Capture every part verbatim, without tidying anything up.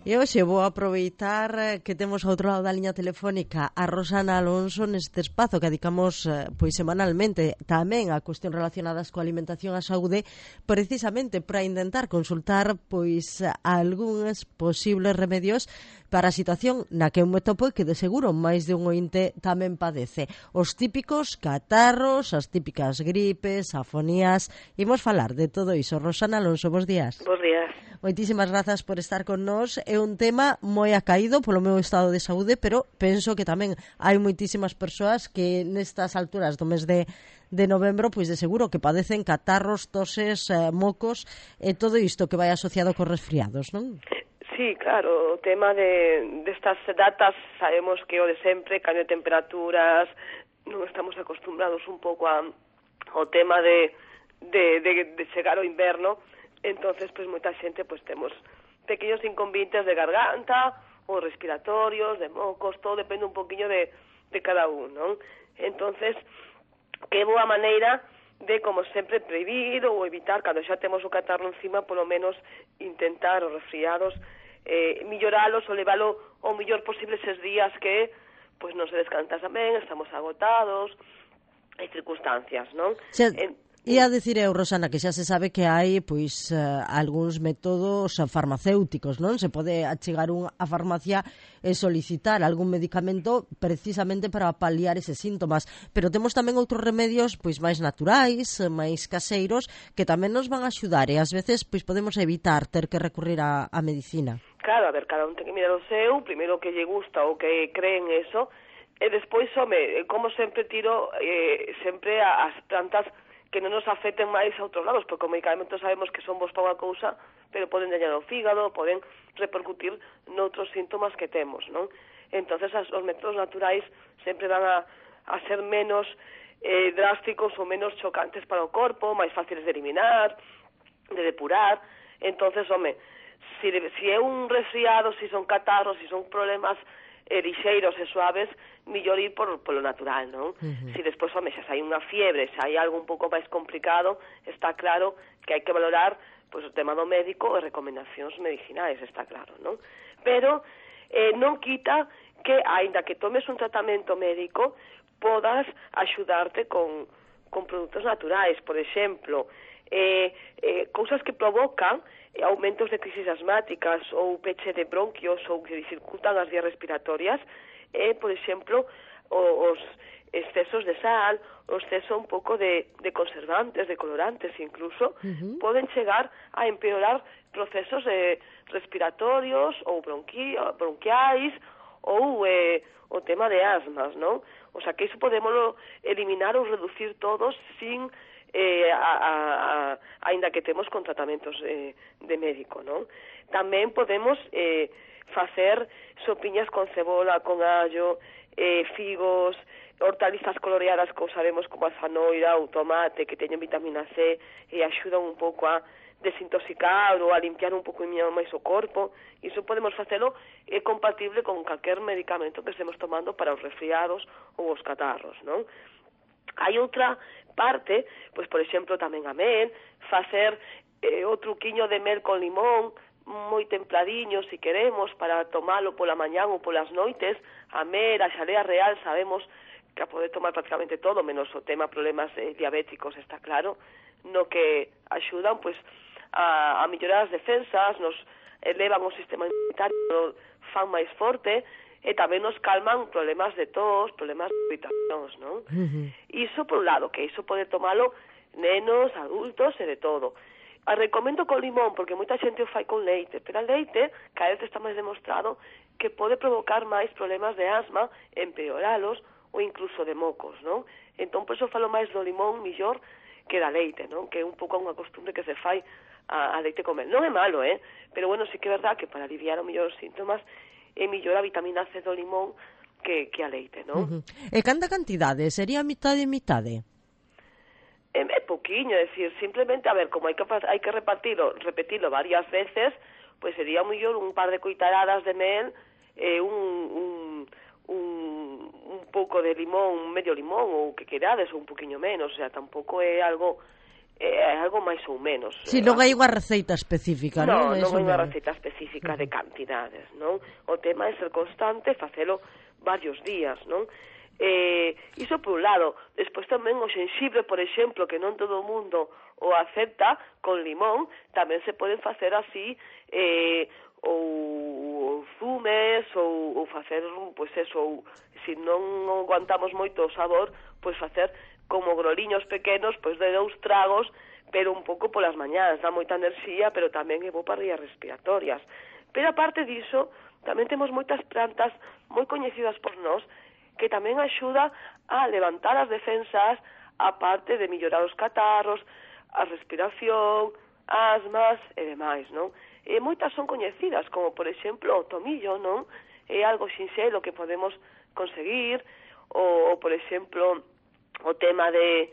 E hoxe vou aproveitar que temos ao outro lado da liña telefónica a Rosana Alonso neste espazo que dedicamos pois semanalmente tamén a cuestións relacionadas coa alimentación e a saúde, precisamente para intentar consultar pois algúns posibles remedios para a situación na que eu me topo e que de seguro máis de un ointe tamén padece. Os típicos catarros, as típicas gripes, afonías. Imos falar de todo iso. Rosana Alonso, bos días. Bos días. Moitísimas grazas por estar con nós. É un tema moi acaído polo meu estado de saúde, pero penso que tamén hai moitísimas persoas que nestas alturas do mes de, de novembro, pois de seguro que padecen catarros, toses, eh, mocos e todo isto que vai asociado cos resfriados, non? Sí, claro, o tema de destas datas sabemos que o de sempre, cambio de temperaturas, non estamos acostumbrados un pouco a, ao tema de, de, de, de chegar ao inverno. Entonces, pues moita xente pues temos pequeños inconvenientes de garganta ou respiratorios, de mocos, todo depende un poquinho de, de cada un, non? Entonces, que boa maneira de, como sempre, previr ou evitar, cando xa temos o catarro encima, polo menos intentar os resfriados, eh, melloralos ou leválo o mellor posible eses días que pues non se descansa ben, estamos agotados, hai circunstancias, non? Se... En... E a dicir eu, Rosana, que xa se sabe que hai pois uh, algúns métodos farmacéuticos, non? Se pode achegar un a farmacia e solicitar algún medicamento precisamente para paliar eses síntomas, pero temos tamén outros remedios pois máis naturais, máis caseiros, que tamén nos van a axudar e ás veces pois podemos evitar ter que recurrir a, a medicina. Claro, a ver, cada un ten que mirar o seu, primeiro que lle gusta ou que cree en eso, e despois, home, como sempre tiro eh, sempre as plantas que non nos afecten máis a outros lados, porque os medicamentos sabemos que son bons para unha cousa, pero poden dañar o fígado, poden repercutir noutros síntomas que temos, non? Entonces, as, os métodos naturais sempre van a, a ser menos eh, drásticos ou menos chocantes para o corpo, máis fáciles de eliminar, de depurar. Entonces, home, si, si é un resfriado, si son catarros, si son problemas eh, lixeiros e suaves, millor ir por, por lo natural, non? Uh-huh. Si despois, home, xa hai unha fiebre, xa hai algo un pouco máis complicado, está claro que hai que valorar pois, o tema do médico e recomendacións medicinais, está claro, non? Pero eh, non quita que, aínda que tomes un tratamento médico, podas axudarte con, con produtos naturais, por exemplo, eh, eh, cousas que provocan aumentos de crisis asmáticas ou peche de bronquios ou que dificultan as vías respiratorias, e, eh, por exemplo, os excesos de sal, o exceso un pouco de, de conservantes, de colorantes incluso, uh-huh. poden chegar a empeorar procesos eh, respiratorios ou bronqui, bronquiais ou eh, o tema de asmas, non? O sea, que iso podemos eliminar ou reducir todos sin eh, a, a, a, ainda que temos con tratamentos eh, de médico, non? Tamén podemos eh, facer sopiñas con cebola, con allo, eh, figos, hortalizas coloreadas como sabemos como a zanoira ou tomate que teñen vitamina C e axudan un pouco a desintoxicar ou a limpiar un pouco máis o corpo. Iso podemos facelo é eh, compatible con calquer medicamento que estemos tomando para os resfriados ou os catarros, non? Hai outra parte, pois por exemplo tamén a mel, facer eh, o truquiño de mel con limón, moi templadiño, si queremos, para tomalo pola mañán ou polas noites. A mel, a xalea real, sabemos que a poder tomar prácticamente todo, menos o tema problemas eh, diabéticos, está claro, no que axudan pois a, a mellorar as defensas, nos elevan o sistema inmunitario, fan máis forte, e tamén nos calman problemas de tos, problemas de irritacións, non? Uh-huh. Iso por un lado, que iso pode tomalo nenos, adultos e de todo. A recomendo con limón, porque moita xente o fai con leite, pero a leite cada vez está máis demostrado que pode provocar máis problemas de asma, empeoralos ou incluso de mocos, non? Entón, por iso falo máis do limón millor que da leite, non? Que é un pouco unha costumbre que se fai a, a leite comer. Non é malo, eh? Pero bueno, sí que é verdad que para aliviar o mellor os síntomas é mellor a vitamina C do limón que, que a leite, non? Uh-huh. E canta cantidade? Sería mitade e mitade? É, é poquinho, é dicir, simplemente, a ver, como hai que, hai que repartirlo, repetirlo varias veces, pois sería mellor un par de cuitaradas de mel, eh, un, un, un, un pouco de limón, un medio limón, ou que querades, ou un poquinho menos, o sea, tampouco é algo é algo máis ou menos. Si, non hai unha receita específica, non? Non, non hai unha receita específica de cantidades, non? O tema é ser constante, facelo varios días, non? Eh, iso por un lado. Despois tamén o xenxibre, por exemplo, que non todo o mundo o acepta, con limón, tamén se poden facer así, eh, ou, ou zumes, ou, ou facer, pois eso, ou, se non aguantamos moito o sabor, pois facer como groliños pequenos, pois de dous tragos, pero un pouco polas mañás, dá moita enerxía, pero tamén é bo para vías respiratorias. Pero aparte diso, tamén temos moitas plantas moi coñecidas por nós, que tamén axuda a levantar as defensas, aparte de mellorar os catarros, a respiración, asmas e demais, non? E moitas son coñecidas, como por exemplo o tomillo, non? É algo sinxelo que podemos conseguir, ou, ou por exemplo o tema de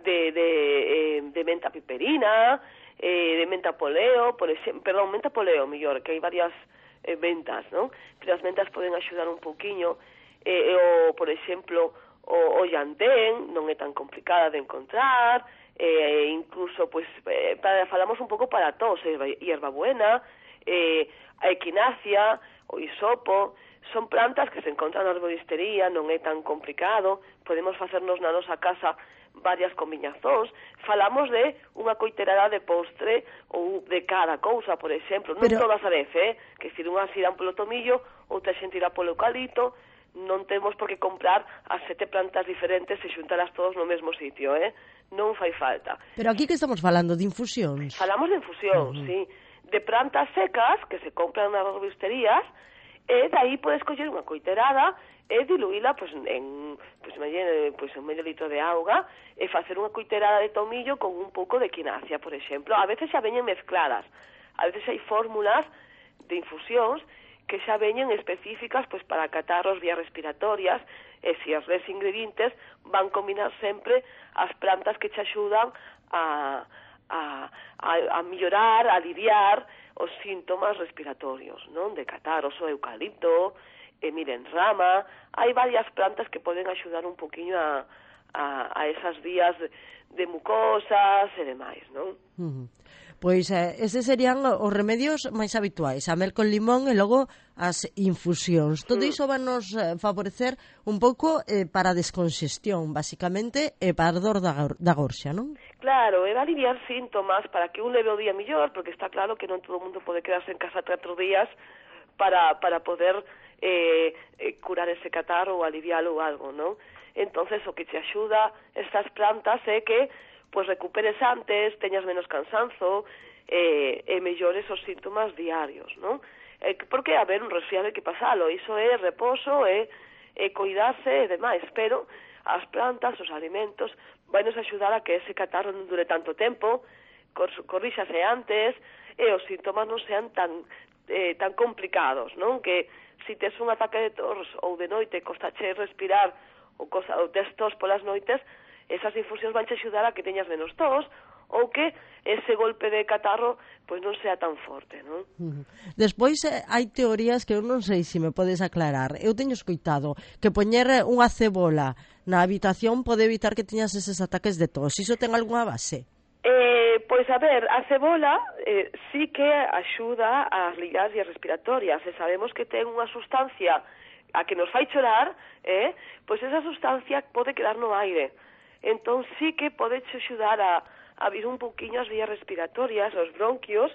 de, de, eh, de menta piperina, eh, de menta poleo, por exemplo, perdón, menta poleo, mellor, que hai varias eh, mentas, non? Pero as mentas poden axudar un pouquiño, eh, o, por exemplo, o, o llantén, non é tan complicada de encontrar, eh, incluso, pues, eh, para, falamos un pouco para tos, eh, hierbabuena, eh, a equinacia, o hisopo, son plantas que se encontran na arboristería, non é tan complicado, podemos facernos na nosa casa varias combinacións, falamos de unha coiterada de postre ou de cada cousa, por exemplo, non Pero... todas a vez, eh? Que se unhas irán polo tomillo, outra xente irá polo eucalipto, non temos por que comprar as sete plantas diferentes e xuntalas todos no mesmo sitio, eh? Non fai falta. Pero aquí que estamos falando de infusións? Falamos de infusións, uh -huh. sí, de plantas secas que se compran nas arboristerías, e daí podes coller unha coiterada e diluíla pues, en pues, medio, pues, un medio litro de auga e facer unha coiterada de tomillo con un pouco de quinacia, por exemplo. A veces xa veñen mezcladas, a veces hai fórmulas de infusións que xa veñen específicas pues, para catarros, vías respiratorias, e se as res ingredientes van combinar sempre as plantas que che axudan a, a, a, a mellorar, a aliviar os síntomas respiratorios, non? De catarros, o eucalipto, e miren, rama, hai varias plantas que poden axudar un poquinho a, a, a esas vías de, de mucosas e demais, non? Uh -huh. Pois eh, eses serían os remedios máis habituais, a mel con limón e logo as infusións. Todo iso van nos eh, favorecer un pouco eh, para a descongestión, basicamente, e para a dor da, da gorxa, non? Claro, é aliviar síntomas para que un leve o día mellor, porque está claro que non todo o mundo pode quedarse en casa catro días para, para poder eh, eh, curar ese catarro ou alivialo ou algo, non? Entonces, o que te axuda estas plantas é que pues recuperes antes, teñas menos cansanzo eh, e mellores os síntomas diarios, non? Eh, porque, a ver, un resfriado hai que pasalo, iso é reposo, é, é cuidarse e demais, pero as plantas, os alimentos, vai nos axudar a que ese catarro non dure tanto tempo, cor, corríxase antes, e os síntomas non sean tan, eh, tan complicados, non? Que se tes un ataque de tos ou de noite costache respirar ou, cosa, ou tes tos polas noites, esas infusións van te axudar a que teñas menos tos ou que ese golpe de catarro pois non sea tan forte, non? Uh -huh. Despois eh, hai teorías que eu non sei se me podes aclarar. Eu teño escoitado que poñer unha cebola na habitación pode evitar que teñas eses ataques de tos. Iso ten algunha base? Eh, pois a ver, a cebola eh, sí que axuda ás ligas e respiratorias e sabemos que ten unha sustancia a que nos fai chorar, eh? Pois esa sustancia pode quedar no aire. Entón sí que pode axudar a, a abrir un poquinho as vías respiratorias, os bronquios,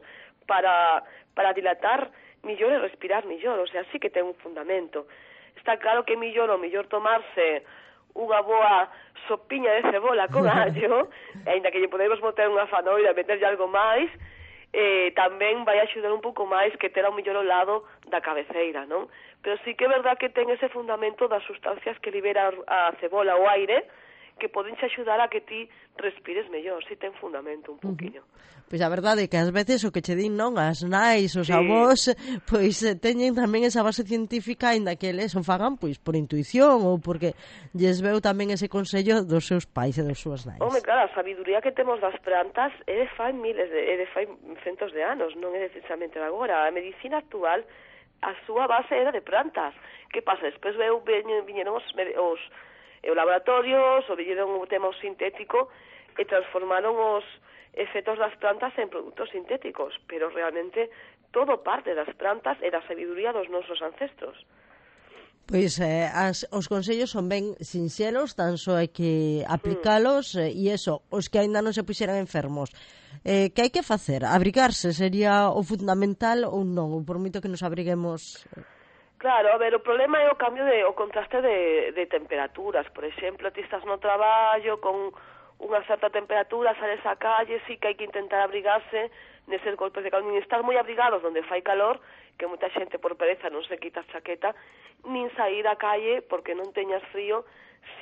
para, para dilatar millor e respirar millor, o sea, sí que ten un fundamento. Está claro que millor o millor tomarse unha boa sopiña de cebola con allo, ainda que lle podemos botar unha fanoira e meterlle algo máis, eh, tamén vai axudar un pouco máis que ter ao millor ao lado da cabeceira, non? Pero sí que é verdad que ten ese fundamento das sustancias que libera a cebola o aire, que poden xe axudar a que ti respires mellor, si ten fundamento un poquinho. Uh -huh. Pois a verdade é que ás veces o que che din, non, as nais, os sí. avós, pois teñen tamén esa base científica, aínda que eles o fagan pois por intuición ou porque lles veu tamén ese consello dos seus pais e das súas nais. Home, claro, a sabiduría que temos das plantas é de fai miles, de, é de fai centos de anos, non é precisamente de agora. A medicina actual, a súa base era de plantas. Que pasa? Despois veu, viñeron os, os e os laboratorios, o viñeron o tema sintético e transformaron os, efectos das plantas en produtos sintéticos, pero realmente todo parte das plantas e da sabiduría dos nosos ancestros. Pois eh, as, os consellos son ben sinxelos, tan só hai que aplicalos mm. eh, e eso, os que aínda non se puxeran enfermos. Eh, que hai que facer? Abrigarse sería o fundamental ou non? Ou por moito que nos abriguemos... Claro, a ver, o problema é o cambio de, o contraste de, de temperaturas. Por exemplo, ti estás no traballo con unha certa temperatura, sales á calle, sí que hai que intentar abrigarse neses golpes de calor, nin estar moi abrigados onde fai calor, que moita xente por pereza non se quita a chaqueta, nin sair á calle porque non teñas frío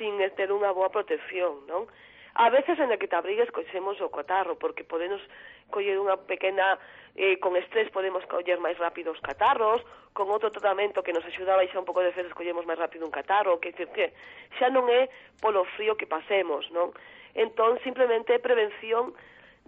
sin ter unha boa protección, non? A veces en que te abrigues coxemos o catarro, porque podemos coller unha pequena, eh, con estrés podemos coller máis rápido os catarros, con outro tratamento que nos axudaba a baixar un pouco de defensas collemos máis rápido un catarro, que decir que xa non é polo frío que pasemos, non? Entón, simplemente prevención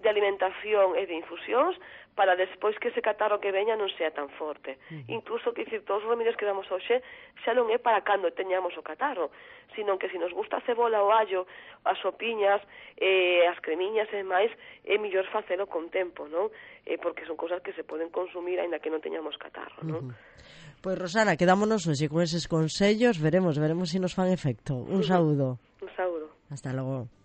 de alimentación e de infusións para despois que ese catarro que veña non sea tan forte. Uh-huh. Incluso, que dicir, todos os remedios que damos hoxe xa non é para cando teñamos o catarro, sino que se nos gusta a cebola, o allo, as sopiñas, eh, as cremiñas e máis, é mellor facelo con tempo, non? Eh, porque son cousas que se poden consumir aínda que non teñamos catarro, non? Uh-huh. Pois, Rosana, quedámonos hoxe con eses consellos, veremos, veremos se si nos fan efecto. Un saúdo. Un saúdo. Hasta logo.